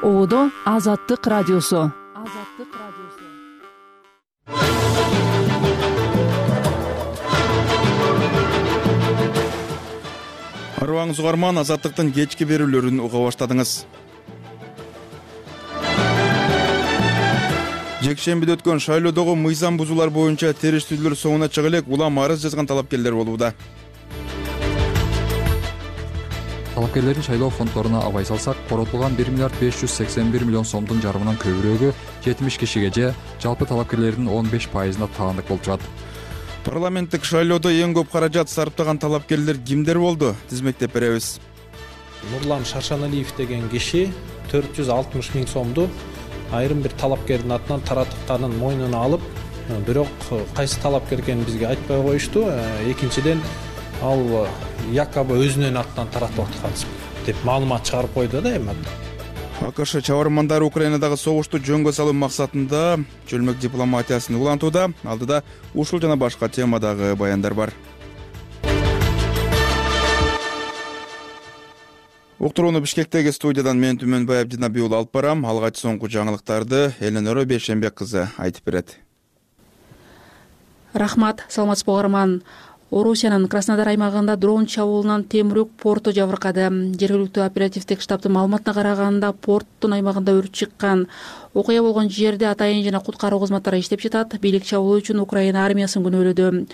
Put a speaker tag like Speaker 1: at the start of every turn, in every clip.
Speaker 1: Оодо Азаттык радиосу.
Speaker 2: Арыбаңыз угарман, Азаттыктын кечки берүүлөрүн уга баштадыңыз. Жекшембиде өткөн шайлоодогу мыйзам бузуулар боюнча териштирүүлөр соңуна чыга элек улам арыз жазган талапкерлер болууда.
Speaker 3: Талапкерлердин шайлоо фонддоруна абай салсак, коротулган 1 миллиард 581 миллион сомдун жарымынан көбүрөөгү 70 кишиге же жалпы талапкерлердин 15%-на таандык болуп чыгат.
Speaker 2: Парламенттик шайлоодо эң көп каражат сарптаган талапкерлер кимдер болду? Тизмектеп беребиз.
Speaker 4: Нурлан Шаршаналиев деген киши 460 миң сомду айрым бир талапкердин атынан таратыканын мойнуна алып, бирок кайсы талапкер экенин бизге айтпай коюшту. Экинчиден, ал якобы өзүнүн атынан таратып аткан деп маалымат чыгарып койду да эми.
Speaker 2: АКШ чабармандары Украинадагы согушту жөнгө салуу максатында чөлмөк дипломатиясын улантууда. Алдыда ушул жана башка темадагы баяндар бар. Уктурууну Бишкектеги студиядан мен Түмөнбаев Динабий уулу алып барам. Алгач соңку жаңылыктарды Эленора Бейшенбек кызы айтып берет.
Speaker 5: Рахмат, саламатсызбы угарман. Орусиянын Краснодар аймагында дрон чабуулунан Темирюк порту жабыркады. Жергиликтүү оперативдик штабтын маалыматына караганда, порттун аймагында өрт чыккан. Окуя болгон жерде атайын жана куткаруу кызматтары иштеп жатат. Бийлик чабуул үчүн Украина армиясын күнөөлөдү.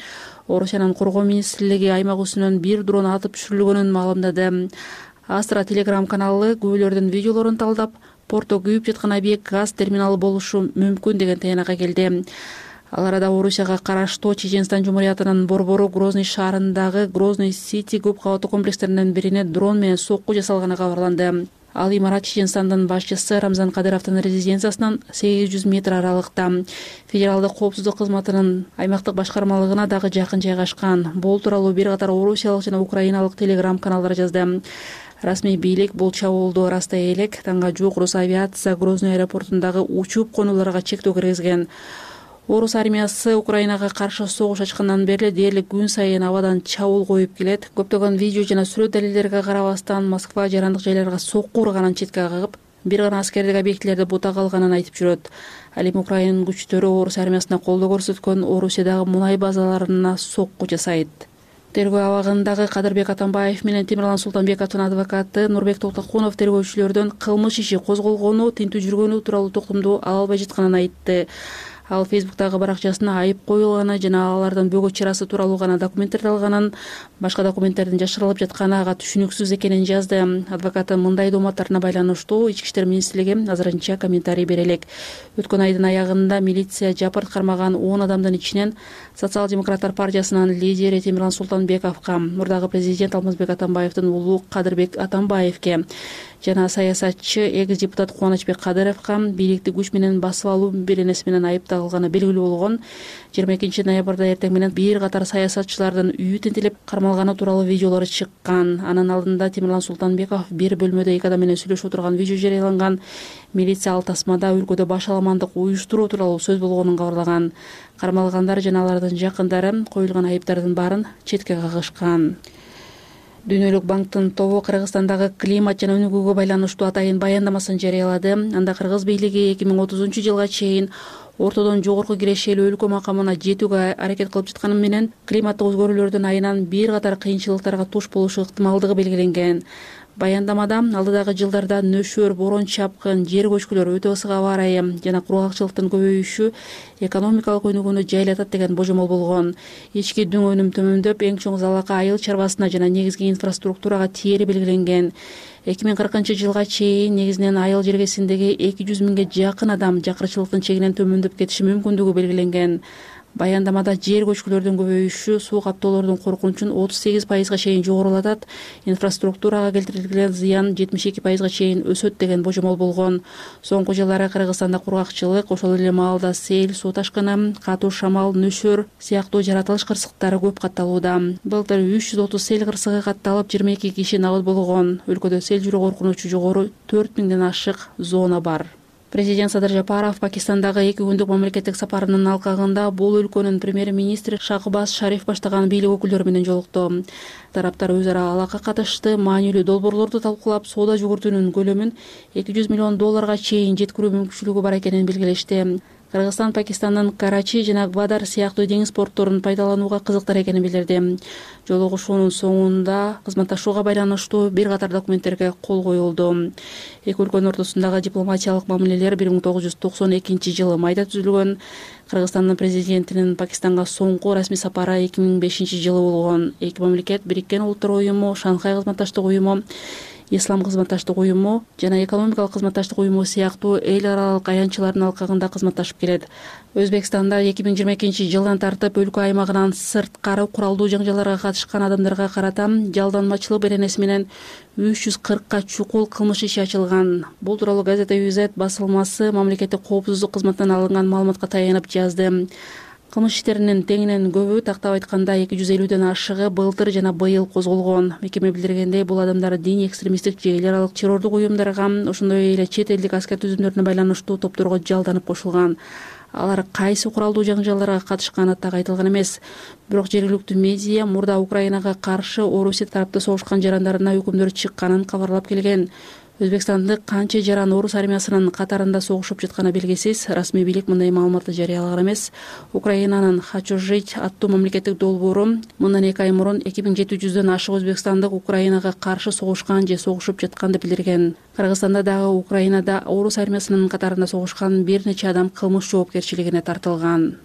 Speaker 5: Орусиянын коргоо министрлиги аймак үстүнөн бир дрон атып түшүрүлгөнүн маалымдады. Астра Телеграм каналы күбөлөрдүн видеолорун талдап, портто күйүп жаткан объект газ терминалы болушу мүмкүн деген тыянакка келди. Ал арада Орусияга караштуу Чеченстан Жумуриятынын борбору Грозный шаарындагы Грозный Сити көп кабаттуу комплекстеринин бирине дрон менен сокку жасалганы кабарланды. Ал имарат Чеченстандын башчысы Рамзан Кадыровдун резиденциясынан 800 метр аралыкта. Федералдык коопсуздук кызматынын аймактык башкармалыгына дагы жакын жайгашкан. Бул тууралуу бир катар орусиялык жана украиналык телеграм каналдар жазды. Расмий бийлик бул чабуулду ырастай элек таңга жук Росавиация Грозный аэропортундагы учуп конууларга чектөө киргизген. Орус армиясы Украинага каршы согуш ачкандан бери дээрлик күн сайын абадан чабуул коюп келет. Көптөгөн видео жана сүрөт далилдерге карабастан Москва жарандык жайларга сокку урганын четке кагып, бир гана аскердик объектилерди бута калганын айтып жүрөт. Ал эми Украина күчтөрү Орус армиясына колдоо көрсөткөн Орусиядагы мунай базаларына сокку жасайт. Тергөө абагындагы Кадырбек Атамбаев менен Темирлан Султанбековдун адвокаты Нурбек Токтокунов тергөөчүлөрдөн кылмыш иши козголгону, тинтүү жүргөнү тууралуу токумду ала албай жатканын айтты. Ал Фейсбуктагы баракчасына айып коюлганы жана алардын бөгөт чарасы тууралуу гана документтер алганын, башка документтердин жашырылып жатканы ага түшүнүксүз экенин жазды. Адвокаты мындай дооматтарына байланыштуу Ички иштер министрлиги азырынча комментарий бере элек. Өткөн айдын аягында милиция жапырт кармаган 10 адамдын ичинен Социал-демократтар партиясынын лидери Темирлан Султанбековго, мурдагы президент Алмазбек Атамбаевдин уулу Кадырбек Атамбаевге жана саясатчы экс-депутат Кубанычбек Кадыровго бийликти күч менен басып алуу беренеси менен айыпталганы белгилүү болгон. 22 ноябрда эртең менен бир катар саясатчылардын үйү тинтилип кармалганы тууралуу видеолор чыккан. Анын алдында Темирлан Султанбеков бир бөлмөдө 2 адам менен сүйлөшүп отурган видео жарыяланган. Милиция ал тасмада өлкөдө баш аламандык уюштуруу тууралуу сөз болгонун кабарлаган. Кармалгандар жана алардын жакындары коюлган айыптардын баарын четке кагышкан. Дүйнөлүк банктын тобу Кыргызстандагы климат жана өнүгүүгө байланыштуу атайын баяндамасын жарыялады. Анда Кыргыз бийлиги 2030-жылга чейин ортодон жогорку кирешелүү өлкө макамына жетүүгө аракет кылып жатканы менен климаттык өзгөрүүлөрдүн айынан бир катар кыйынчылыктарга туш болушу ыктымалдыгы белгиленген. Баяндамада алдыдагы жылдарда нөшөр, борон чапкын, жер көчкүлөр, өтө ысык аба ырайы жана кургакчылыктын көбөйүшү экономикалык өнүгүүнү жайлатат деген божомол болгон. Ички дүң өнүм төмөндөп, эң чоң залака айыл чарбасына жана негизги инфраструктурага тиери белгиленген. 2040-жылга чейин негизинен айыл жергесиндеги 200 миңге жакын адам жакырчылыктын чегинен төмөндөп кетиши мүмкүндүгү белгиленген. Баяндамада жер көчкүлөрдүн көбөйүшү суу каптоолордун коркунучун 38%га чейин жогорулатат, инфраструктурага келтирилген зыян 72%га чейин өсөт деген божомол болгон. Соңку жылдары Кыргызстанда кургакчылык, ошол эле маалда сел, суу ташкыны, катуу шамал, нөшөр сыяктуу жаратылыш кырсыктары көп катталууда. Былтыр 330 сел кырсыгы катталып, 22 киши набыт болгон. Өлкөдө сел жүрүү коркунучу жогору 4000ден ашык зона бар. Президент Садыр Жапаров Пакистандагы 2 күндүк мамлекеттик сапарынын алкагында бул өлкөнүн премьер-министри Шахбаз Шариф баштаган бийлик өкүлдөрү менен жолукту. Тараптар өз ара алакка катышты, маанилүү долбоорлорду талкуулап, соода жүгүртүүнүн көлөмүн $200 миллион чейин жеткирүү мүмкүнчүлүгү бар экенин белгилешти. Кыргызстан Пакистандын Карачи жана Гвадар сыяктуу деңиз портторун пайдаланууга кызыктар экенин билдирди. Жолугушуунун соңунда кызматташууга байланыштуу бир катар документтерге кол коюлду. Эки өлкөнүн ортосундагы дипломатиялык мамилелер 1992 майда түзүлгөн. Кыргызстандын президентинин Пакистанга соңку расмий сапары 2005 болгон. Эки мамлекет Бириккен Улуттар уюму, Шанхай кызматташтык уюму, Ислам кызматташтык уюму жана экономикалык кызматташтык уюму сыяктуу эл аралык аянтчылардын алкагында кызматташып келет. Өзбекстанда 2022 жылдан тартып өлкө аймагынан сырткары куралдуу жаңжалдарга катышкан адамдарга карата жалданмачылык беренеси менен 340 чукул кылмыш иши ачылган. Бул тууралуу газета UZ басылмасы мамлекеттик коопсуздук кызматынан алынган маалыматка таянып жазды. Кылмыш иштеринин теңинен көбү, тактап айтканда 250ден ашыгы былтыр жана быйыл козголгон. Мекеме билдиргендей, бул адамдар диний экстремисттик же эл аралык террордук уюмдарга, ошондой эле чет элдик аскер түзүмдөрүнө байланыштуу топторго жалданып кошулган. Алар кайсы куралдуу жаңжалдарга катышканы так айтылган эмес. Бирок жергиликтүү медиа мурда Украинага каршы Орусия тарапта согушкан жарандарына өкүмдөр чыкканын кабарлап келген. Өзбекстандык канча жаран орус армиясынын катарында согушуп жатканы белгисиз. Расмий бийлик мындай маалыматты жарыялаган эмес. Украинанын «Хочу жить» аттуу мамлекеттик долбоору мындан 2 ай мурун 2700дөн ашык өзбекстандык Украинага каршы согушкан же согушуп жатканды билдирген. Кыргызстанда дагы Украинада орус армиясынын катарында согушкан бир нече адам кылмыш жоопкерчилигине тартылган.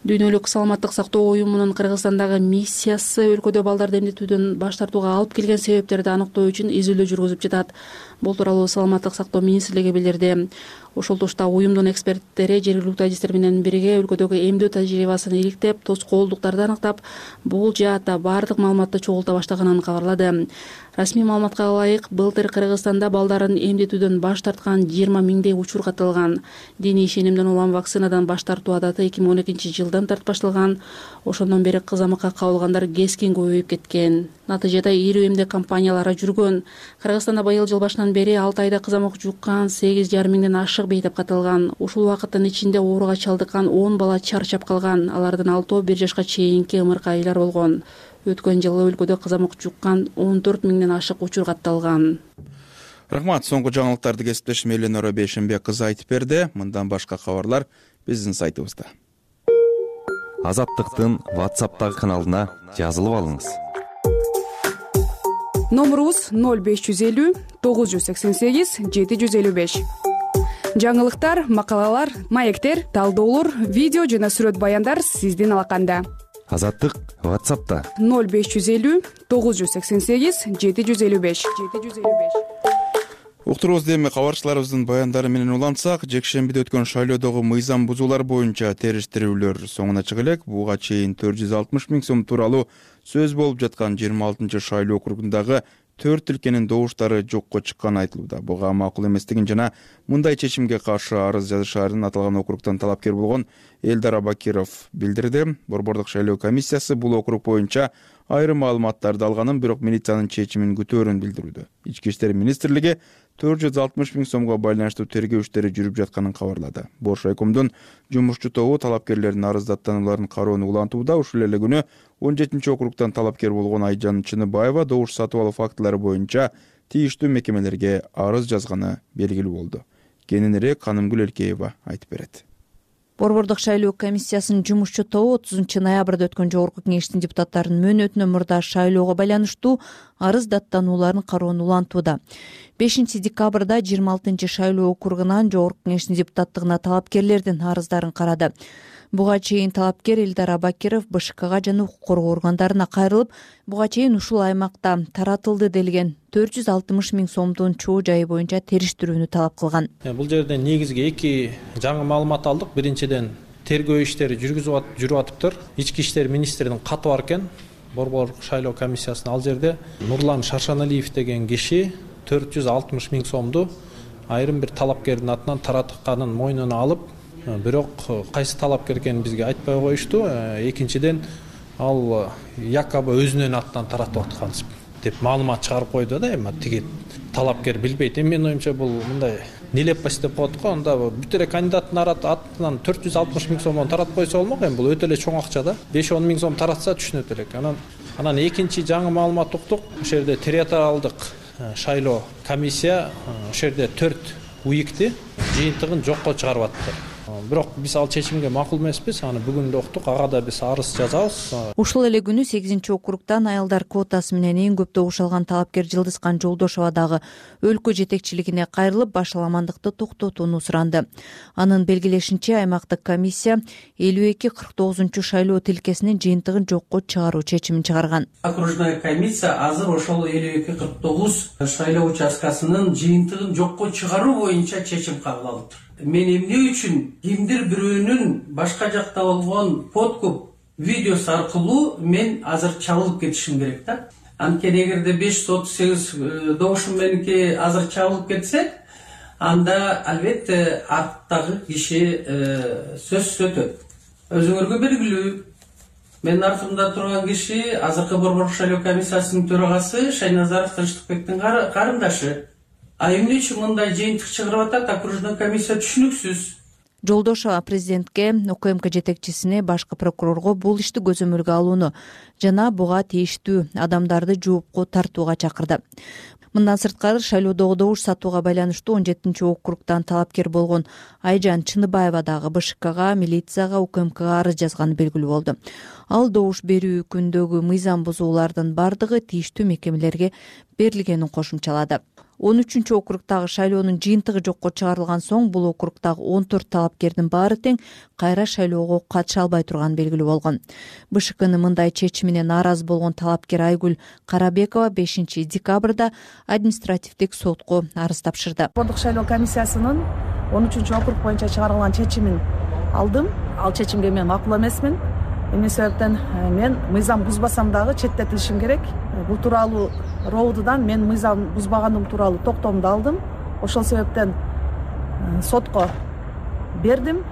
Speaker 5: Дүйнөлүк саламаттык сактоо уюмунун Кыргызстандагы миссиясы өлкөдө балдарды эмдетүүдөн баш тартууга алып келген себептерди аныктоо үчүн изилдөө жүргүзүп жатат. Бул тууралуу саламаттык сактоо министрлиги билдирди. Ошол тушта уюмдун эксперттери жергиликтүү адистер менен бирге өлкөдөгү эмдөө тажрыйбасын иликтеп, тоскоолдуктарды аныктап, бул жаатта баардык маалыматты чогулта баштаганын кабарлады. Расмий маалыматка ылайык, былтыр Кыргызстанда балдарын эмдетүүдөн баш тарткан 20 миңдей учур катталган. Диний ишенимден улам вакцинадан баш тартуу адаты 2012 жылдан тарт башталган. Ошондон бери кызамакка кабылгандар кескин көбөйүп кеткен. Натыйжада ирүү эмдек кампаниялары жүргөн. Кыргызстанда быйыл жыл башынан бери 6 айда кызамак жуккан 8,5 миңден ашык бейтеп катталган. Ушул убакыттын ичинде ооруга чалдыккан 10 бала чарчап калган. Алардын 6 1 жашка чейинки ымыркайлар болгон. Өткөн жылы өлкөдө кызамак жуккан 14 миңден ашык учур катталган.
Speaker 2: Рахмат, соңку жаңылыктарды кесиптешим Эленора Бейшенбек кызы айтып берди. Мындан башка кабарлар биздин сайтыбызда.
Speaker 6: Азаттыктын WhatsApp'тагы каналына жазылып алыңыз.
Speaker 7: Номерубуз 0550 988 755. Жаңылыктар, макалалар, маектер, талдоолор, видео жана сүрөт баяндар сиздин алаканда.
Speaker 6: Азаттык WhatsApp'та
Speaker 7: 0550 988 755.
Speaker 2: Уктурубузда эми кабарчыларыбыздын баяндары менен улантсак, жекшембиде өткөн шайлоодогу мыйзам бузуулар боюнча териштирүүлөр соңуна чыга элек. Буга чейин 460 миң сом тууралуу сөз болуп жаткан 26 шайлоо округундагы 4 өлкөнүн добуштары жокко чыкканы айтылууда. Буга макул эместигин жана мындай чечимге каршы арыз жазышаарын аталган округтан талапкер болгон Элдар Абакиров билдирди. Борбордук шайлоо комиссиясы бул округ боюнча айрым маалыматтарды алганын, бирок милициянын чечимин күтөөрүн билдирүүдө. Ички иштер министрлиги 460 миң сомго байланыштуу тергөө иштери жүрүп жатканын кабарлады. Бош райкомдун жумушчу тобу талапкерлердин арыздаттанууларын кароону улантууда. Ушул эле күнү 17 округтан талапкер болгон Айжан Чыныбаева добуш сатып алуу фактылары боюнча тийиштүү мекемелерге арыз жазганы белгилүү болду. Кененирээк Канымгүл Элкеева айтып берет.
Speaker 8: Борбордук шайлоо комиссиясынын жумушчу тобу 30 ноябрда өткөн жогорку кеңештин депутаттарынын мөөнөтүнөн мурда шайлоого байланыштуу арыз даттанууларын кароону улантууда. 5 декабрда 26 шайлоо округунан жогорку кеңештин депутаттыгына талапкерлердин арыздарын карады. Буга чейин талапкер Элдар Абакиров БШКга жана укук коргоо органдарына кайрылып, буга чейин ушул аймакта таратылды делген 460 миң сомдун чоо жайы боюнча териштирүүнү талап кылган.
Speaker 4: Бул жерде негизги 2 жаңы маалымат алдык. Биринчиден тергөө иштери жүрүп атыптыр. Ички иштер министринин каты бар экен. Борбордук шайлоо комиссиясына ал жерде Нурлан Шаршаналиев деген киши 460 миң сомду айрым бир талапкердин атынан таратканын мойнуна алып, бирок кайсы талапкер экенин бизге айтпай коюшту. Экинчиден ал якобы өзүнүн атынан таратып аткан деп маалымат чыгарып койду да. Эми тиги талапкер билбейт. Менин оюмча бул мындай нелепость деп коет го. Анда бүт эле кандидаттын атынан 460 миң сомдон таратып койсо болмок. Эми бул өтө эле чоң акча да. 5-10 миң сом таратса түшүнөт элек. Анан экинчи жаңы маалымат уктук. Ошол жерде территориалдык шайлоо комиссия ошол жерде 4 уйикти жыйынтыгын жокко чыгарып аттыр. Бирок биз ал чечимге макул эмеспиз. Аны бүгүн да уктук. Ага да биз арыз жазабыз.
Speaker 8: Ушул эле күнү 8-округтан аялдар квотасы менен эң көп добуш алган талапкер Жылдызкан Жолдошова дагы өлкө жетекчилигине кайрылып, башаламандыкты токтотууну суранды. Анын белгилешинче, аймактык комиссия 52-49 шайлоо тилкесинин жыйынтыгын жокко чыгаруу чечимин чыгарган.
Speaker 9: Окружная комиссия азыр ошол 52-49 шайлоо участкасынын жыйынтыгын жокко чыгаруу боюнча чечим кабыл алыптыр. Мен эмне үчүн кимдир бирөөнүн башка жакта болгон подкуп видеосу аркылуу мен азыр чабылып кетишим керек да. Анткени эгерде 538 добушум меники азыр чабылып кетсе, анда албетте арттагы киши сөзсүз өтөт. Өзүңөргө белгилүү, менин артымда турган киши азыркы Борбордук шайлоо комиссиясынын төрагасы Шайназаров Тынчтыкбектин карындашы. А эмне үчүн мындай жыйынтык чыгарып атат окружной комиссия түшүнүксүз.
Speaker 8: Жолдошова президентке, УКМК жетекчисине, башкы прокурорго бул ишти көзөмөлгө алууну жана буга тийиштүү адамдарды жоопко тартууга чакырды. Мындан сырткары шайлоодогу добуш сатууга байланыштуу 17-округтан талапкер болгон Айжан Чыныбаева дагы БШКга, милицияга, УКМКга арыз жазганы белгилүү болду. Ал добуш берүү күндөгү мыйзам бузуулардын бардыгы тийиштүү мекемелерге берилгенин кошумчалады. 13-округтагы шайлоонун жыйынтыгы жокко чыгарылган соң бул округтагы 14 талапкердин баары тең кайра шайлоого катыша албай турганы белгилүү болгон. БШКнын мындай чечимине нааразы болгон талапкер Айгүл Карабекова 5 декабрда административдик сотко арыз тапшырды.
Speaker 10: Борбордук шайлоо комиссиясынын 13-округ боюнча чыгарылган чечимин алдым. Ал чечимге мен макул эмесмин. Эмне себептен мен мыйзам бузбасам дагы четтетилишим керек. Бул тууралуу роудудан мен мыйзам бузбаганым тууралуу токтомду алдым. Ошол себептен сотко бердим.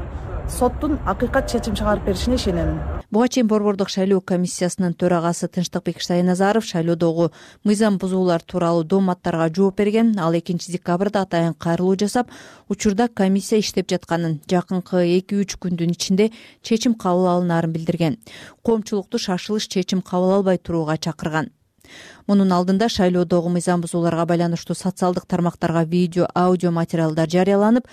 Speaker 10: Соттун акыйкат чечим чыгарып беришине ишенемин.
Speaker 8: Буга чейин Борбордук шайлоо комиссиясынын төрагасы Тынчтыкбек Шайназаров шайлоодогу мыйзам бузуулар тууралуу дооматтарга жооп берген. Ал 2 декабрда атайын кайрылуу жасап, учурда комиссия иштеп жатканын, жакынкы 2-3 күндүн ичинде чечим кабыл алынаарын билдирген. Коомчулукту шашылыш чечим кабыл албай турууга чакырган. Мунун алдында шайлоодогу мыйзам бузууларга байланыштуу социалдык тармактарга видео, аудио материалдар жарыяланып,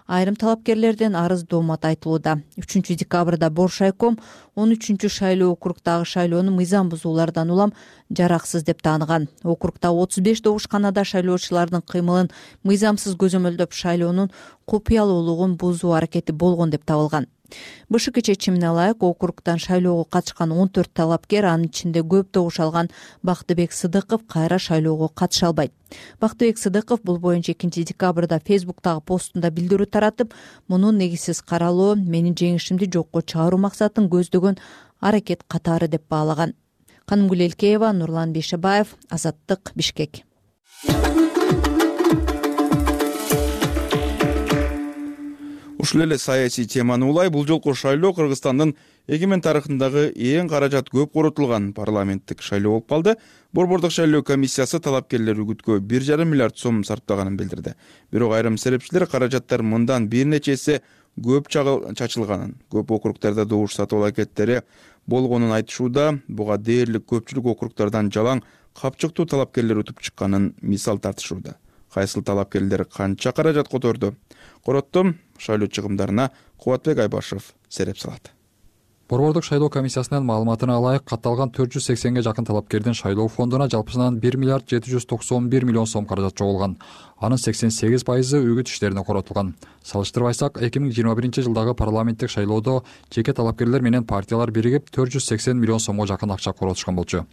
Speaker 8: айрым талапкерлерден арыз доомат айтылууда. 3 декабрда Боршайком 13 шайлоо округтагы шайлоону мыйзам бузуулардан улам жараксыз деп тааныган. Округта 35 добушканада шайлоочулардын кыймылын мыйзамсыз көзөмөлдөп шайлоонун купуялуулугун бузуу аракети болгон деп табылган. БШК чечимине ылайык округтан шайлоого катышкан 14 талапкер, анын ичинде көп добуш алган Бактыбек Сыдыков кайра шайлоого катыша албайт. Бактыбек Сыдыков бул боюнча 2 декабрда Фейсбуктагы постунда билдирүү таратып, мунун негизсиз каралуу менин жеңишимди жокко чыгаруу максатын көздөгөн аракет катары деп баалаган. Канымгүл Элкеева, Нурлан Бейшебаев, Азаттык, Бишкек.
Speaker 2: Ушул эле саясий теманы улай бул жолку шайлоо Кыргызстандын эгемен тарыхындагы эң каражат көп коротулган парламенттик шайлоо болуп калды. Борбордук шайлоо комиссиясы талапкерлер үгүткө 1,5 миллиард сом сарптаганын билдирди. Бирок айрым серепчилер каражаттар мындан бир нече эсе көп чачылганын, көп округдарда добуш сатуу аракеттери болгонун айтышууда. Буга дээрлик көпчүлүк округдардан жалаң капчыктуу талапкерлер өтүп чыкканын мисал тартышууда. Кайсыл талапкерлер канча каражат которду? Короттум шайлоо чыгымдарына Кубатбек Айбашев сереп салат.
Speaker 3: Борбордук шайлоо комиссиясынын маалыматына ылайык катталган 480ге жакын талапкердин шайлоо фондуна жалпысынан 1 миллиард 791 миллион сом каражат чогулган. Анын 88% үгүт иштерине коротулган. Салыштырбайсак, 2021-жылдагы парламенттик шайлоодо жеке талапкерлер менен партиялар биригип 480 миллион сомго жакын акча коротушкан болчу.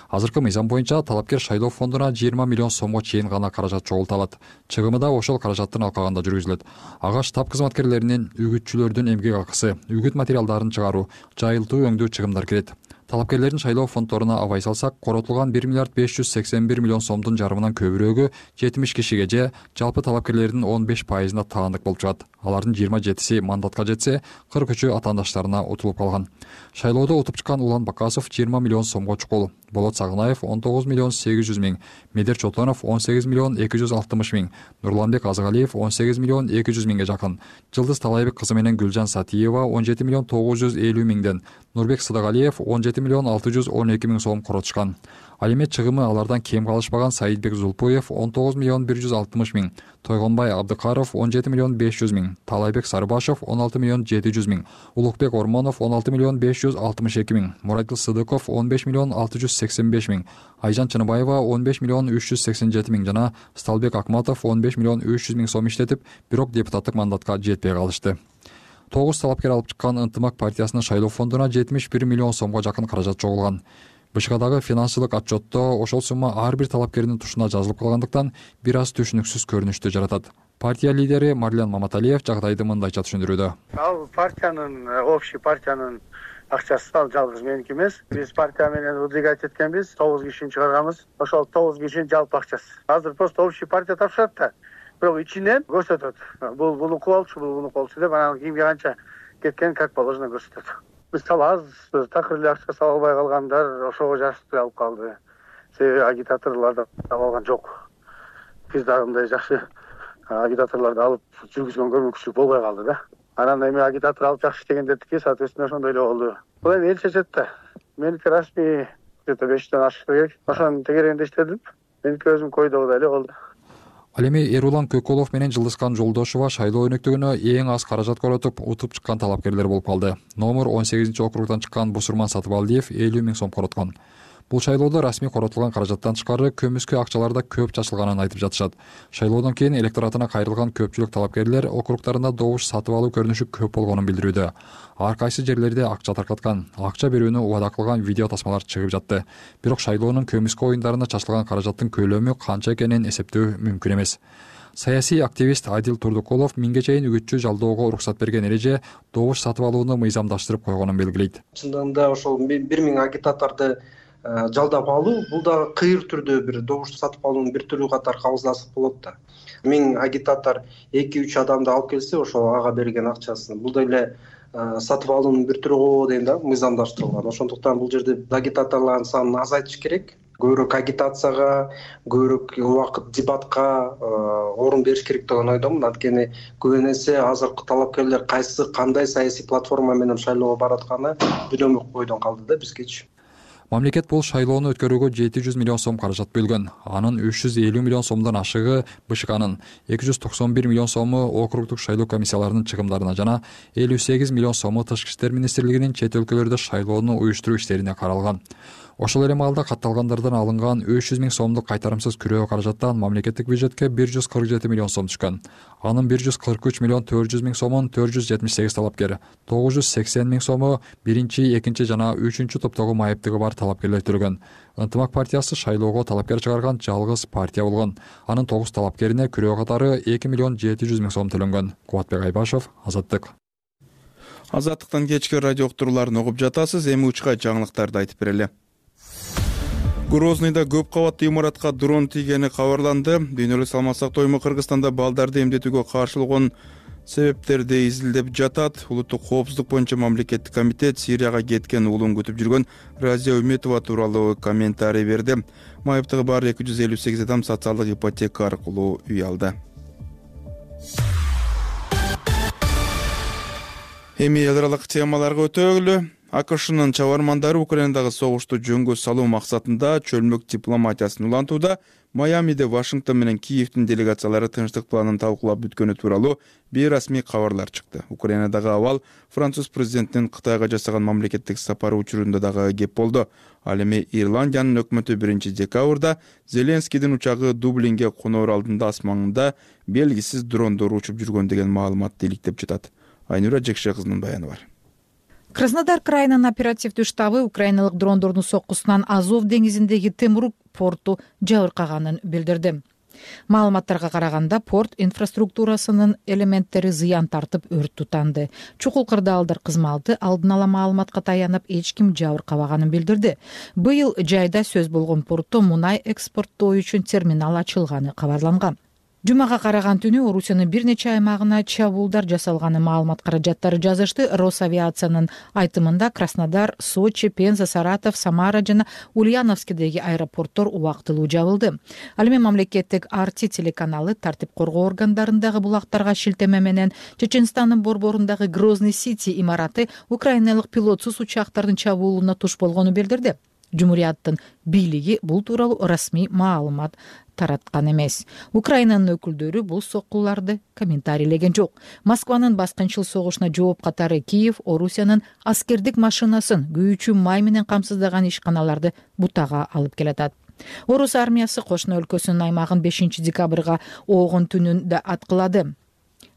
Speaker 3: Азыркы мыйзам боюнча талапкер шайлоо фондуна 20 миллион сомго чейин гана каражат чогулта алат. Чыгымы да ошол каражаттын алкагында жүргүзүлөт. Ага штаб кызматкерлеринин, үгүтчүлөрдүн эмгек акысы, үгүт материалдарын чыгаруу, жайылтуу өңдүү чыгымдар кирет. Талапкерлердин шайлоо фонддоруна абай салсак, коротулган 1 миллиард 581 миллион сомдун жарымынан көбүрөөгү 70 кишиге же жалпы талапкерлердин 15%-на таандык болуп чыгат. Алардын 27-си мандатка жетсе, 43-ü атаандаштарына утулуп калган. Шайлоодо утуп чыккан Улан Бакасов 20 миллион сомго чукул, Болот Сагынаев 19 миллион 800 миң, Медер Чотонов 18 миллион 260 миң, Нурланбек Азыгалиев 18 миллион 200 миңге жакын, Жылдыз Талайбек кызы менен Гүлжан Сатиева 17 миллион 950 миңден, Нурбек Сыдыгалиев 17 миллион 612 миң сом коротушкан. Ал эми чыгымы алардан кем калышпаган Саидбек Зулпуев 19 миллион 160 миң, Тойгонбай Абдыкаров 17 миллион 500 миң, Талайбек Сарыбашев 16 миллион 700 миң, Улукбек Ормонов 16 миллион 562 миң, Муратил Сыдыков 15 миллион 685 миң, Айжан Чыныбаева 15 миллион 387 миң жана Сталбек Акматов 15 миллион 300 миң сом иштетип, бирок депутаттык мандатка жетпей калышты. 9 талапкер алып чыккан Ынтымак партиясынын шайлоо фондуна 71 миллион сомго жакын каражат чогулган. БШКдагы финансылык отчетто ошол сумма ар бир талапкердин тушуна жазылып калгандыктан бир аз түшүнүксүз көрүнүштү жаратат. Партия лидери Марлен Маматалиев жагдайды мындайча түшүндүрүүдө.
Speaker 11: Ал партиянын, общий партиянын акчасы ал жалгыз меники эмес. Биз партия менен выдвигать эткенбиз, 9 кишини чыгарганбыз. Ошол 9 кишинин жалпы акчасы. Азыр просто общий партия тапшырат да. Бирок ичинен көрсөтөт. Буну кылалчу, буну кылчу деп анан кимге канча кеткен как положено көрсөтөт. Мисалы аз такыр эле акча сала албай калгандар ошого жарышты алып калды. Себеби агитаторлорду таап алган жок. Биз дагы мындай жакшы агитаторлорду алып жүргүзгөнгө мүмкүнчүлүк болбой калды да. Анан эми агитатор алып жакшы иштегендердики, соответственно, ошондой эле болду. Бул эми эл чечет да. Меники расмий где-то 5-тен ашыш керек. Ошонун тегерегинде иштедим. Меники өзүм койдогудай эле болду.
Speaker 3: Ал эми Эрулан Көкөлов менен Жылдызкан Жолдошова шайлоо өнөктүгүнө эң аз каражат коротуп, утуп чыккан талапкерлер болуп калды. Номер 18-округдан чыккан Бусурман Сатыбалдиев 50 миң сом короткон. Бул шайлоодо расмий коротулган каражаттан тышкары көмүскө акчаларда көп чачылганын айтып жатышат. Шайлоодон кийин электоратына кайрылган көпчүлүк талапкерлер округдарында добуш сатып алуу көрүнүшү көп болгонун билдирүүдө. Ар кайсы жерлерде акча таркаткан, акча берүүнү убада кылган видео тасмалар чыгып жатты. Бирок шайлоонун көмүскө оюндарына чачылган каражаттын көлөмү канча экенин эсептөө мүмкүн эмес. Саясий активист Адил Турдукулов миңге чейин үгүтчү жалдоого уруксат берген эреже добуш сатып алууну мыйзамдаштырып койгонун белгилейт.
Speaker 12: Чындыгында ошол 1000 агитаторду жалдап алуу бул да кыйыр түрдө бир добуш сатып алуунун бир түрү катары кабыл алсак болот да. 1000 агитатор 2-3 адамды алып келсе, ошол ага берген акчасын бул деле сатып алуунун бир түрү го дейм да, мыйзамдаштырылган. Ошондуктан бул жерде агитаторлордун санын азайтыш керек. Көбүрөөк агитацияга, көбүрөөк убакыт дебатка орун бериш керек деген ойдомун. Анткени көп эсе азыркы талапкерлер кандай саясий платформа менен шайлоого баратканы билбөмөк бойдон калды да бизгечи.
Speaker 3: Мамлекет бул шайлоону өткөрүүгө 700 миллион сом каражат бөлгөн. Анын 350 миллион сомдон ашыгы БШКнын, 291 миллион сому округдук шайлоо комиссияларынын чыгымдарына жана 58 миллион сому Тышкы иштер министрлигинин чет өлкөлөрдө шайлоону уюштуруу иштерине каралган. Ошол эле маалда катталгандардан алынган 300 миң сомдук кайтарымсыз күрөө каражаттан мамлекеттик бюджетке 147 миллион сом түшкөн. Анын 143 миллион 400 миң сомун 478 талапкер, 980 миң сому биринчи, экинчи жана үчүнчү топтогу майыптыгы бар талапкерлер төлөгөн. Ынтымак партиясы шайлоого талапкер чыгарган жалгыз партия болгон. Анын 9 талапкерине күрөө катары 2 миллион 700 миң сом төлөнгөн. Кубатбек Айбашев, Азаттык.
Speaker 2: Азаттыктан кечки радио уктурууларын угуп жатасыз. Эми учка жаңылыктарды айтып берели. Грозныйда көп кабаттуу имаратка дрон тийгени кабарланды. Дүйнөлүк саламаттык сактоо Кыргызстанда балдарды эмдетүүгө каршылыгын себептерди изилдеп жатат. Улуттук коопсуздук боюнча мамлекеттик комитет Сирияга кеткен уулун күтүп жүргөн Разия Үмөтова тууралуу комментарий берди. Майыптыгы бар 258 адам социалдык ипотека аркылуу үй алды. Эми эл аралык темаларга өтөлү. АКШнын чабармандары Украинадагы согушту жөнгө салуу максатында чөлмөк дипломатиясын улантууда. Майамиде Вашингтон менен Киевдин делегациялары тынчтык планын талкуулап бүткөнү тууралуу бейрасмий кабарлар чыкты. Украинадагы абал француз президентинин Кытайга жасаган мамлекеттик сапары учурунда дагы кеп болду. Ал эми Ирландиянын өкмөтү 1-декабрда Зеленскийдин учагы Дублинге коноор алдында асманында белгисиз дрондор учуп жүргөн деген маалыматты иликтеп жатат. Айнура Жекше кызынын баяны бар.
Speaker 13: Краснодар крайынын оперативдүү штабы украиналык дрондордун соккусунан Азов деңизиндеги Темрук порту жабыркаганын билдирди. Маалыматтарга караганда порт инфраструктурасынын элементтери зыян тартып өрт тутанды. Чукул кырдаалдар кызматы алдын ала маалыматка таянып эч ким жабыркабаганын билдирди. Быйыл жайда сөз болгон портто мунай экспорттоо үчүн терминал ачылганы кабарланган. Жумага караган түнү Орусиянын бир нече аймагына чабуулдар жасалганы маалымат каражаттары жазышты. Росавиациянын айтымында Краснодар, Сочи, Пенза, Саратов, Самара жана Ульяновскидеги аэропорттор убактылуу жабылды. Ал эми мамлекеттик Арти телеканалы тартип коргоо органдарындагы булактарга шилтеме менен Чеченстандын борборундагы Грозный Сити имараты украиналык пилотсуз учактардын чабуулуна туш болгонун билдирди. Жумурияттын бийлиги бул тууралуу расмий маалымат тараткан эмес. Украинанын өкүлдөрү бул соккуларды комментарийлеген жок. Москванын баскынчыл согушуна жооп катары Киев Орусиянын аскердик машинасын күйүүчү май менен камсыздаган ишканаларды бутага алып келатат. Орус армиясы кошуна өлкөсүнүн аймагын 5 декабрга оогун түнүндө аткылады.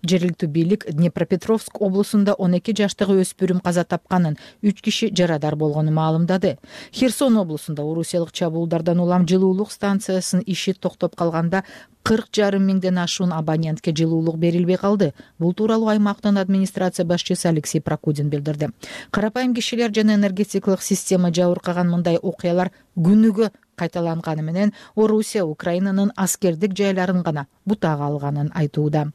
Speaker 13: Жергиликтүү бийлик Днепропетровск облусунда 12 жаштагы өспүрүм каза тапканын, 3 киши жарадар болгонун маалымдады. Херсон облусунда орусиялык чабуулдардан улам жылуулук станциясынын иши токтоп калганда 40,5 миңден ашуун абонентке жылуулук берилбей калды. Бул тууралуу аймактын администрация башчысы Алексей Прокудин билдирди. Карапайым кишилер жана энергетикалык система жабыркаган мындай окуялар күнүгө кайталанганы менен Орусия Украинанын аскердик жайларын гана бутага алганын айтууда.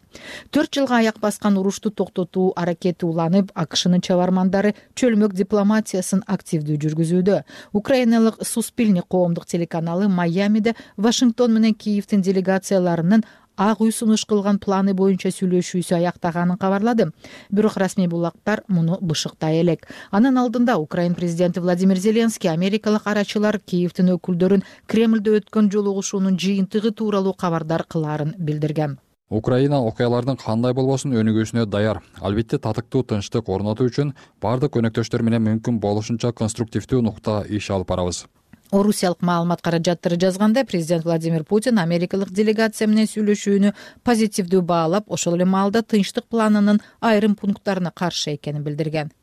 Speaker 13: 4 жылга аяк баскан урушту токтотуу аракети уланып, АКШнын чабармандары чөлмөк дипломатиясын активдүү жүргүзүүдө. Украиналык Суспильный коомдук телеканалы Майамиде Вашингтон менен Киевдин делегацияларынын Ак үй сунуш кылган планы боюнча сүйлөшүүсү аяктаганын кабарлады. Бирок расмий булактар муну бышыктай элек. Анын алдында Украин президенти Владимир Зеленский америкалык арачылар Киевдин өкүлдөрүн Кремльдө өткөн жолугушуунун жыйынтыгы тууралуу кабардар кылаарын билдирген.
Speaker 3: Украина окуялардын кандай болбосун өнүгүүсүнө даяр. Албетте татыктуу тынчтык орнотуу үчүн бардык өнөктөштөр менен мүмкүн болушунча конструктивдүү нукта иш алып барабыз.
Speaker 13: Орусиялык маалымат каражаттары жазганда президент Владимир Путин америкалык делегация менен сүйлөшүүнү позитивдүү баалап, ошол эле маалда тынчтык планынын айрым пункттарына каршы экенин билдирген.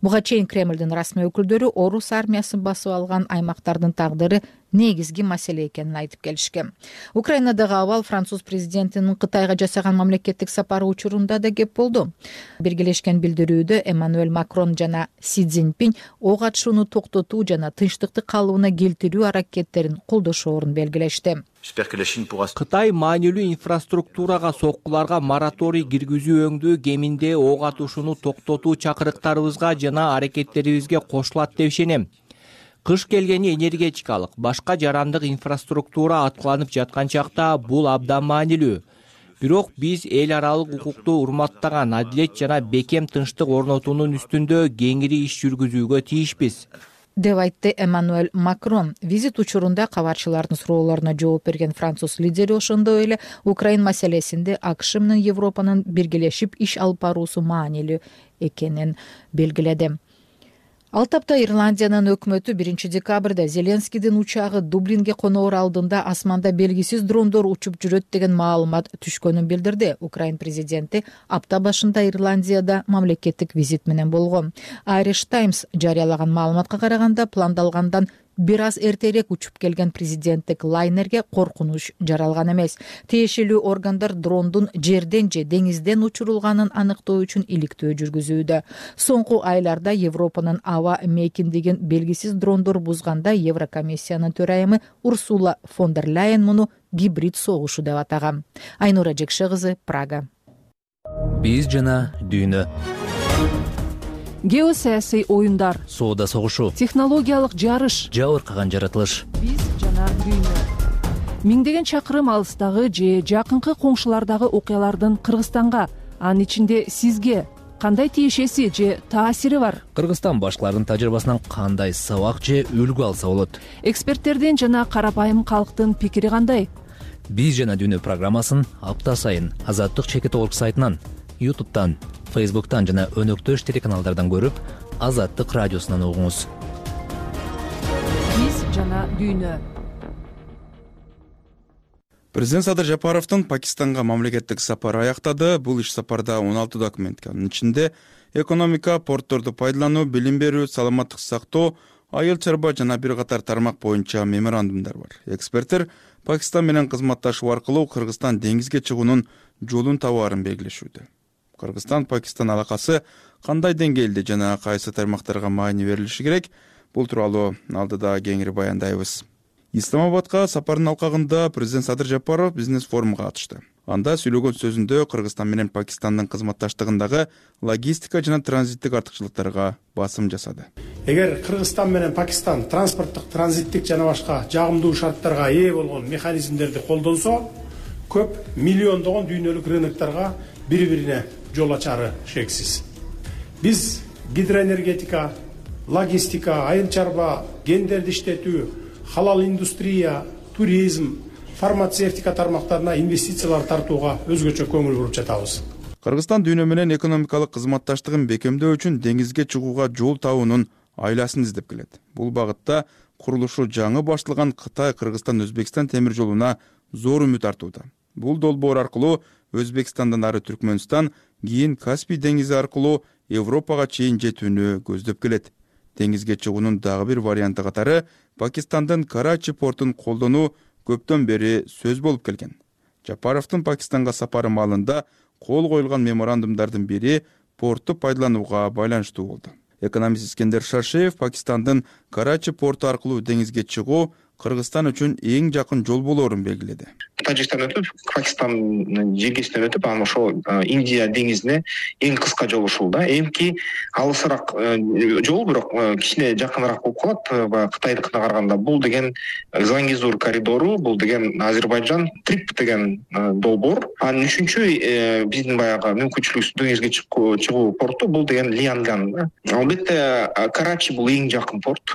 Speaker 13: Буга чейин Кремльдин расмий өкүлдөрү орус армиясын басып алган аймактардын тагдыры негизги маселе экенин айтып келишкен. Украинадагы абал француз президентинин Кытайга жасаган мамлекеттик сапары учурунда да кеп болду. Биргелешкен билдирүүдө Эммануэль Макрон жана Си Цзиньпин ок атышууну токтотуу жана тынчтыкты калыбына келтирүү аракеттерин колдошоорун белгилешти.
Speaker 14: Кытай маанилүү инфраструктурага соккуларга мораторий киргизүү өңдүү кеминде ок атышууну токтотуу чакырыктарыбызга жана аракеттерибизге кошулат деп ишенем. Кыш келгени энергетикалык, башка жарандык инфраструктура аткыланып жаткан чакта бул абдан маанилүү. Бирок биз эл аралык укукту урматтаган адилет жана бекем тынчтык орнотуунун үстүндө кеңири иш жүргүзүүгө тийишпиз,
Speaker 13: деп айтты Эммануэль Макрон. Визит учурунда кабарчылардын суроолоруна жооп берген француз лидери ошондой эле Украин маселесинде АКШ менен Европанын биргелешип иш алып баруусу маанилүү экенин белгиледи. Ал тапта Ирландиянын өкмөтү 1 декабрда Зеленскийдин учагы Дублинге коноор алдында асманда белгисиз дрондор учуп жүрөт деген маалымат түшкөнүн билдирди. Украин президенти апта башында Ирландияда мамлекеттик визит менен болгон. Irish Times жарыялаган маалыматка караганда пландалгандан бир аз эртерээк учуп келген президенттик лайнерге коркунуч жаралган эмес. Тиешелүү органдар дрондун жерден же деңизден учурулганын аныктоо үчүн иликтөө жүргүзүүдө. Соңку айларда Европанын аба мейкиндигин белгисиз дрондор бузганда Еврокомиссиянын төрайымы Урсула фон дер Ляйен муну гибрид согушу деп атаган. Айнура Жекше кызы, Прага.
Speaker 15: Биз жана дүйнө.
Speaker 1: Геосаясий оюндар,
Speaker 15: соода согушу,
Speaker 1: технологиялык жарыш,
Speaker 15: жабыркаган жаратылыш.
Speaker 1: Биз жана дүйнө. Миңдеген чакырым алыстагы же жакынкы коңшулардагы окуялардын Кыргызстанга, анын ичинде сизге кандай тиешеси же таасири бар?
Speaker 15: Кыргызстан башкалардын тажрыйбасынан кандай сабак же үлгү алса болот?
Speaker 1: Эксперттердин жана карапайым калктын пикири кандай?
Speaker 15: Биз жана дүйнө программасын апта сайын Азаттык чекит орг сайтынан, YouTube'дан, Facebook'tan жана өнөктөш телеканалдардан көрүп, Азаттык радиосунан угуңуз.
Speaker 1: Биз жана дүйнө.
Speaker 2: Президент Садыр Жапаровдун Пакистанга мамлекеттик сапары аяктады. Бул иш сапарда 16 документ. Анын ичинде экономика, портторду пайдалануу, билим берүү, саламаттык сактоо, айыл чарба жана бир катар тармак боюнча меморандумдар бар. Эксперттер Пакистан менен кызматташуу аркылуу Кыргызстан деңизге чыгуунун жолун табаарын белгилешүүдө. Кыргызстан-Пакистан алакасы кандай деңгээлде жана кайсы тармактарга маани берилиши керек? Бул тууралуу алдыда кеңири баяндайбыз. Исламабадка сапардын алкагында президент Садыр Жапаров бизнес форумга катышты. Анда сүйлөгөн сөзүндө Кыргызстан менен Пакистандын кызматташтыгындагы логистика жана транзиттик артыкчылыктарга басым жасады.
Speaker 16: Эгер Кыргызстан менен Пакистан транспорттук, транзиттик жана башка жагымдуу шарттарга ээ болгон механизмдерди колдонсо, көп миллиондогон дүйнөлүк рыноктарга бири-бирине жол ачары шексиз. Биз гидроэнергетика, логистика, айыл чарба, гендерди иштетүү, халал индустрия, туризм, фармацевтика тармактарына инвестициялар тартууга өзгөчө көңүл буруп жатабыз.
Speaker 2: Кыргызстан дүйнө менен экономикалык кызматташтыгын бекемдөө үчүн деңизге чыгууга жол табуунун айласын издеп келет. Бул багытта курулушу жаңы башталган Кытай-Кыргызстан-Өзбекстан темир жолуна зор үмүт артууда. Бул долбоор аркылуу Өзбекстандан ары Түркмөнстан, кийин Каспий деңизи аркылуу Европага чейин жетүүнү көздөп келет. Деңизге чыгуунун дагы бир варианты катары Пакистандын Карачи портун колдонуу көптөн бери сөз болуп келген. Жапаровдун Пакистанга сапары маалында кол коюлган меморандумдардын бири порту пайдаланууга байланыштуу болду. Экономист Искендер Шашеев Пакистандын Карачи порту аркылуу деңизге чыгуу Кыргызстан үчүн эң жакын жол болоорун белгиледи.
Speaker 17: Тажикстан өтүп, Пакистандын жеңгесинен өтүп, анан ошол Индия деңизине эң кыска жол ушул да. Эмки алысыраак жол, бирок кичине жакыныраак болуп калат баягы Кытайдыкына караганда. Бул деген Зангизур коридору, бул деген Азербайджан Трип деген долбоор. Анын үчүнчү биздин баягы мүмкүнчүлүгүбүз деңизге чыгуу порту бул деген Лианган. Албетте Карачи бул эң жакын порт.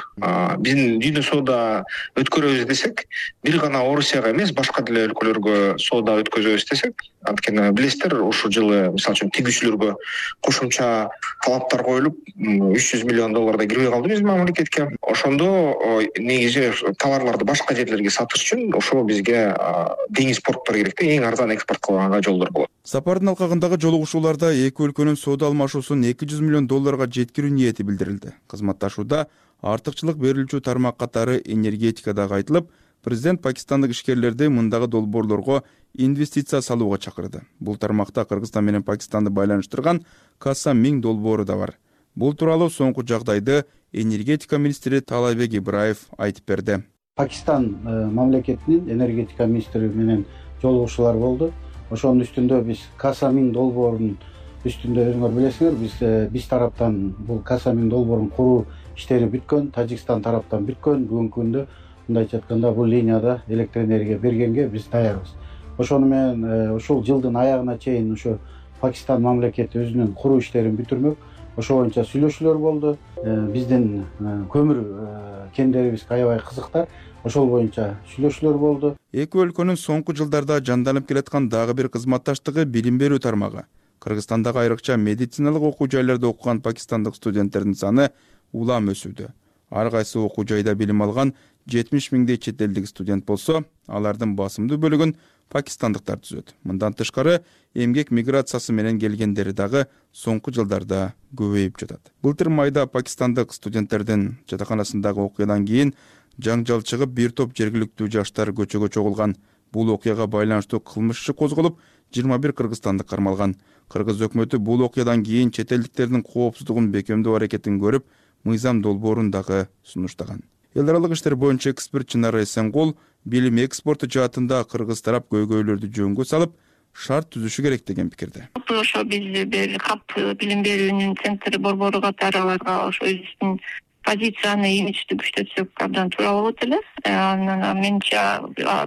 Speaker 17: Биздин дүйнө соода өткөрөбүз десек, бир гана Орусияга эмес, башка деле өлкөлөргө соода өткөзөбүз десек, анткени билесиздер, ушул жылы мисалы үчүн тигүүчүлөргө кошумча талаптар коюлуп, $300 миллион кирбей калды биздин мамлекетке. Ошондо негизи товарларды башка жерлерге сатыш үчүн ошол бизге деңиз порттор керек да, эң арзан экспорт кылганга жолдор болот.
Speaker 2: Сапардын алкагындагы жолугушууларда эки өлкөнүн соода алмашуусун $200 миллион жеткирүү ниети билдирилди. Кызматташууда артыкчылык берилүүчү тармак катары энергетика дагы айтылып, президент пакистандык ишкерлерди мындагы долбоорлорго инвестиция салууга чакырды. Бул тармакта Кыргызстан менен Пакистанды байланыштырган Касам Минг долбоору да бар. Бул тууралуу соңку жагдайды энергетика министри Талайбек Ибраев айтып берди.
Speaker 18: Пакистан мамлекетинин энергетика министри менен жолугушуулар болду. Ошонун үстүндө биз Касам Минг долбоорунун үстүндө, өзүңөр билесиңер, биз тараптан бул Касам Минг долбоорун куруу иштери бүткөн, Тажикстан тараптан бүткөн. Бүгүнкү күндө мындайча айтканда бул линияда электр энергия бергенге биз даярбыз. Ошону менен ушул жылдын аягына чейин ушу Пакистан мамлекети өзүнүн куруу иштерин бүтүрмөк. Ошо боюнча сүйлөшүүлөр болду. Биздин көмүр кендерибизге аябай кызыктар. Ошол боюнча сүйлөшүүлөр болду.
Speaker 2: Эки өлкөнүн соңку жылдарда жанданып келаткан дагы бир кызматташтыгы билим берүү тармагы. Кыргызстандагы айрыкча медициналык окуу жайларда окуган пакистандык студенттердин саны улам өсүүдө. Ар кайсы окуу жайда билим алган 70 миңдей чет элдик студент болсо, алардын басымдуу бөлүгүн пакистандыктар түзөт. Мындан тышкары, эмгек миграциясы менен келгендери дагы соңку жылдарда көбөйүп жатат. Былтыр майда пакистандык студенттердин жатаканасындагы окуядан кийин жаңжал чыгып, бир топ жергиликтүү жаштар көчөгө чогулган. Бул окуяга байланыштуу кылмыш иши козголуп, 21 кыргызстандык кармалган. Кыргыз өкмөтү бул окуядан кийин чет элдиктердин коопсуздугун бекемдөө аракетин көрүп, мыйзам долбоорун дагы сунуштаган. Эл аралык иштер боюнча эксперт Чынара Эсенгул билим экспорту жаатында кыргыз тарап көйгөйлөрдү жөнгө салып, шарт түзүшү керек деген пикирде.
Speaker 19: Ошо биз КАП билим берүүнүн центри борбору катары аларга ошо өзүбүздүн позицияны имиджди күчөтсөк абдан туура болот эле. Анан менче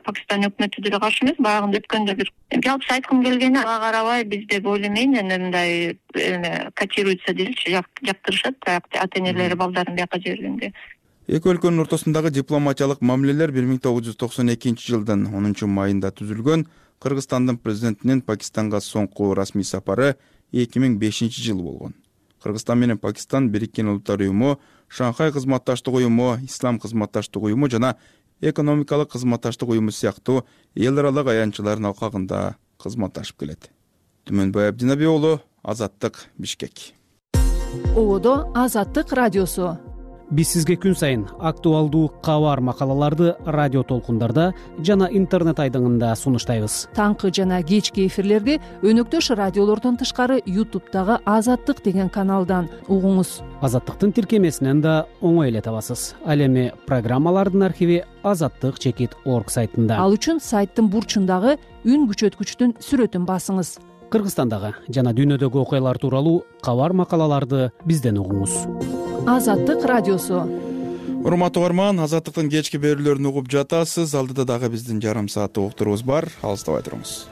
Speaker 19: Пакистан өкмөтү деле каршы эмес. Баягында өткөндө бир жалпы айткым келгени, ага карабай биз деп ойлоймун, мындай котируется дейчи, жактырышат ата энелери балдарын бияка жибергенде.
Speaker 2: Эки өлкөнүн ортосундагы дипломатиялык мамилелер 1992 жылдын 10 майында түзүлгөн. Кыргызстандын президентинин Пакистанга соңку расмий сапары 2005 жылы болгон. Кыргызстан менен Пакистан Бириккен Улуттар уюму, Шанхай кызматташтык уюму, Ислам кызматташтык уюму жана экономикалык кызматташтык уюму сыяктуу эл аралык аянтчылардын алкагында кызматташып келет. Түмөнбай Абдинаби уулу, Азаттык, Бишкек.
Speaker 1: Ободо Азаттык радиосу.
Speaker 20: биз сизге күн сайын актуалдуу кабар макалаларды радио толкундарда жана интернет айдыңында сунуштайбыз.
Speaker 1: Таңкы жана кечки эфирлерди өнөктөш радиолордон тышкары ютубтагы Азаттык деген каналдан угуңуз.
Speaker 20: Азаттыктын тиркемесинен да оңой эле табасыз. Ал эми программалардын архиви azattik.org сайтында.
Speaker 1: Ал үчүн сайттын бурчундагы үн күчөткүчтүн сүрөтүн басыңыз.
Speaker 20: Кыргызстандагы жана дүйнөдөгү окуялар тууралуу кабар макалаларды бизден угуңуз.
Speaker 1: Азаттык радиосу.
Speaker 2: Урматтуу угарман, Азаттыктын кечки берүүлөрүн угуп жатасыз. Алдыда дагы биздин жарым сааттык уктурубуз бар. Алыстабай туруңуз.